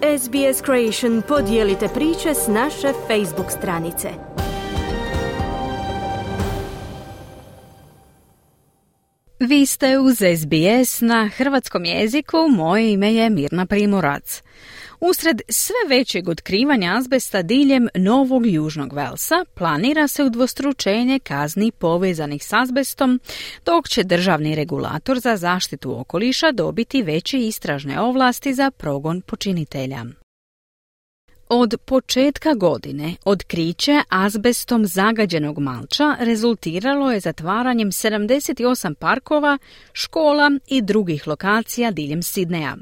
SBS Creation podijelite priče s naše Facebook stranice. Vi ste uz SBS na hrvatskom jeziku, moje ime je Mirna Primorac. Usred sve većeg otkrivanja azbesta diljem Novog Južnog Velsa planira se udvostručenje kazni povezanih s azbestom, dok će državni regulator za zaštitu okoliša dobiti veće istražne ovlasti za progon počinitelja. Od početka godine otkriće azbestom zagađenog malča rezultiralo je zatvaranjem 78 parkova, škola i drugih lokacija diljem Sidneja.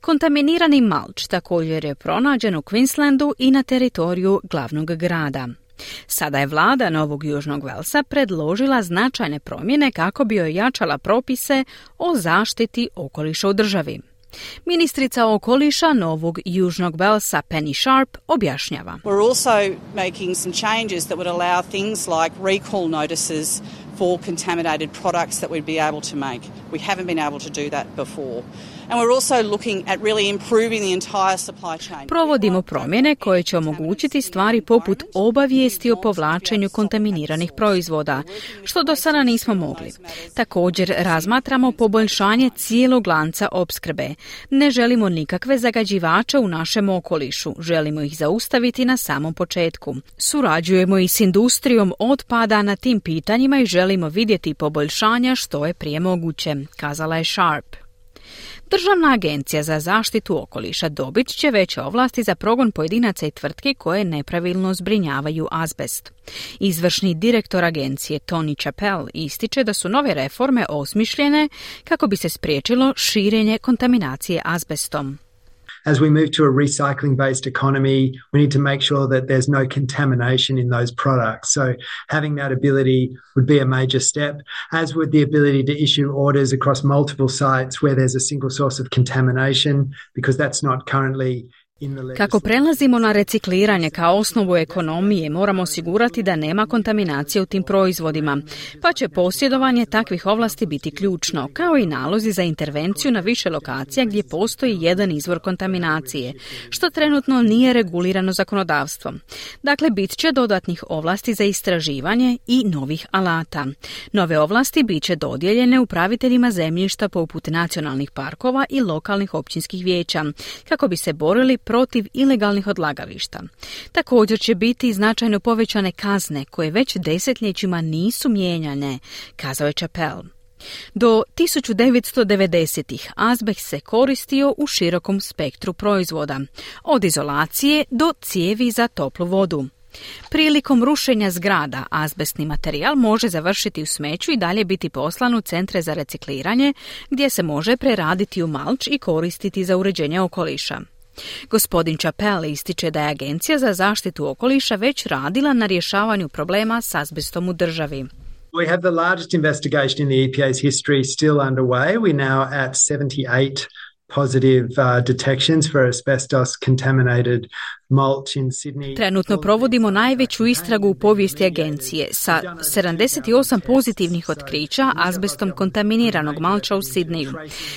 Kontaminirani malč također je pronađen u Queenslandu i na teritoriju glavnog grada. Sada je vlada Novog Južnog Velsa predložila značajne promjene kako bi ojačala propise o zaštiti okoliša u državi. Ministrica okoliša Novog Južnog Velsa Penny Sharp objašnjava. We're also making some changes that would allow things like recall notices for contaminated products that we'd be able to make. We haven't been able to do that before. And we're also looking at really improving the entire supply chain. Provodimo promjene koje će omogućiti stvari poput obavijesti o povlačenju kontaminiranih proizvoda, što do sada nismo mogli. Također razmatramo poboljšanje cijelog lanca opskrbe. Ne želimo nikakve zagađivače u našem okolišu, želimo ih zaustaviti na samom početku. Surađujemo i s industrijom otpada na tim pitanjima i želimo vidjeti poboljšanja što je prije moguće, kazala je Sharp. Državna agencija za zaštitu okoliša dobit će veće ovlasti za progon pojedinaca i tvrtki koje nepravilno zbrinjavaju azbest. Izvršni direktor agencije Tony Chappell ističe da su nove reforme osmišljene kako bi se spriječilo širenje kontaminacije azbestom. As we move to a recycling-based economy, we need to make sure that there's no contamination in those products. So having that ability would be a major step, as would the ability to issue orders across multiple sites where there's a single source of contamination, because that's not currently. Kako prelazimo na recikliranje kao osnovu ekonomije, moramo osigurati da nema kontaminacije u tim proizvodima, pa će posjedovanje takvih ovlasti biti ključno, kao i nalozi za intervenciju na više lokacija gdje postoji jedan izvor kontaminacije, što trenutno nije regulirano zakonodavstvom. Dakle, bit će dodatnih ovlasti za istraživanje i novih alata. Nove ovlasti bit će dodijeljene upraviteljima zemljišta poput nacionalnih parkova i lokalnih općinskih vijeća, kako bi se borili protiv ilegalnih odlagališta. Također će biti značajno povećane kazne koje već desetljećima nisu mijenjane, kazao je Chappell. Do 1990-ih azbest se koristio u širokom spektru proizvoda, od izolacije do cijevi za toplu vodu. Prilikom rušenja zgrada azbestni materijal može završiti u smeću i dalje biti poslan u centre za recikliranje, gdje se može preraditi u malč i koristiti za uređenje okoliša. Gospodin Chappell ističe da je Agencija za zaštitu okoliša već radila na rješavanju problema s azbestom u državi. We have the largest investigation in the EPA's history still underway. We're now at 78 positive detections for asbestos contaminated mulch in Sydney. Trenutno provodimo najveću istragu u povijesti agencije sa 78 pozitivnih otkrića azbestom kontaminiranog malča u Sidneju.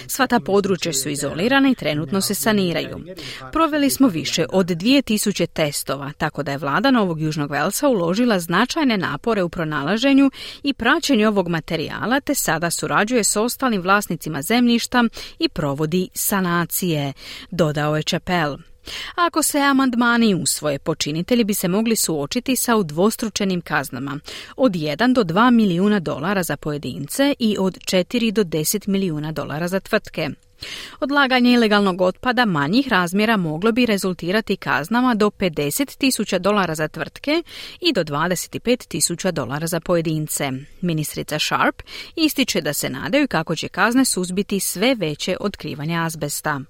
Sva ta područja su izolirana i trenutno se saniraju. Proveli smo više od 2000 testova, tako da je vlada Novog Južnog Velsa uložila značajne napore u pronalaženju i praćenju ovog materijala, te sada surađuje s ostalim vlasnicima zemljišta i provodi sanacije, dodao je Chappell. Ako se amandmani usvoje, počinitelji bi se mogli suočiti sa udvostručenim kaznama od 1 do 2 milijuna dolara za pojedince i od 4 do 10 milijuna dolara za tvrtke. Odlaganje ilegalnog otpada manjih razmjera moglo bi rezultirati kaznama do $50,000 za tvrtke i do $25,000 za pojedince. Ministrica Sharp ističe da se nadaju kako će kazne suzbiti sve veće otkrivanje azbesta.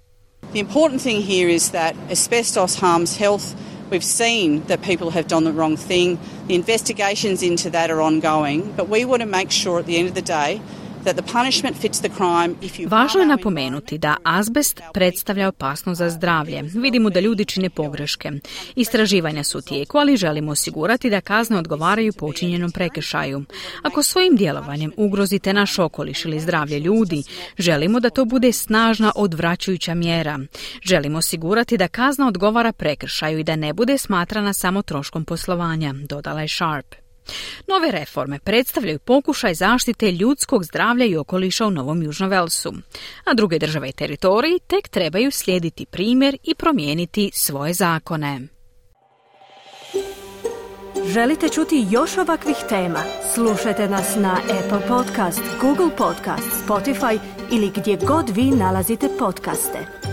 The important thing here is that asbestos harms health. We've seen that people have done the wrong thing. The investigations into that are ongoing, but we want to make sure at the end of the day that the punishment fits the crime. Važno je napomenuti da azbest predstavlja opasnost za zdravlje. Vidimo da ljudi čine pogreške. Istraživanja su u tijeku, ali želimo osigurati da kazne odgovaraju počinjenom prekršaju. Ako svojim djelovanjem ugrozite naš okoliš ili zdravlje ljudi, želimo da to bude snažna odvraćajuća mjera. Želimo osigurati da kazna odgovara prekršaju i da ne bude smatrana samo troškom poslovanja, dodala je Sharp. Nove reforme predstavljaju pokušaj zaštite ljudskog zdravlja i okoliša u Novom Južnom Velsu, a druge države i teritoriji tek trebaju slijediti primjer i promijeniti svoje zakone. Želite čuti još ovakvih tema? Slušajte nas na Apple Podcast, Google Podcast, Spotify ili gdje god vi nalazite podcaste.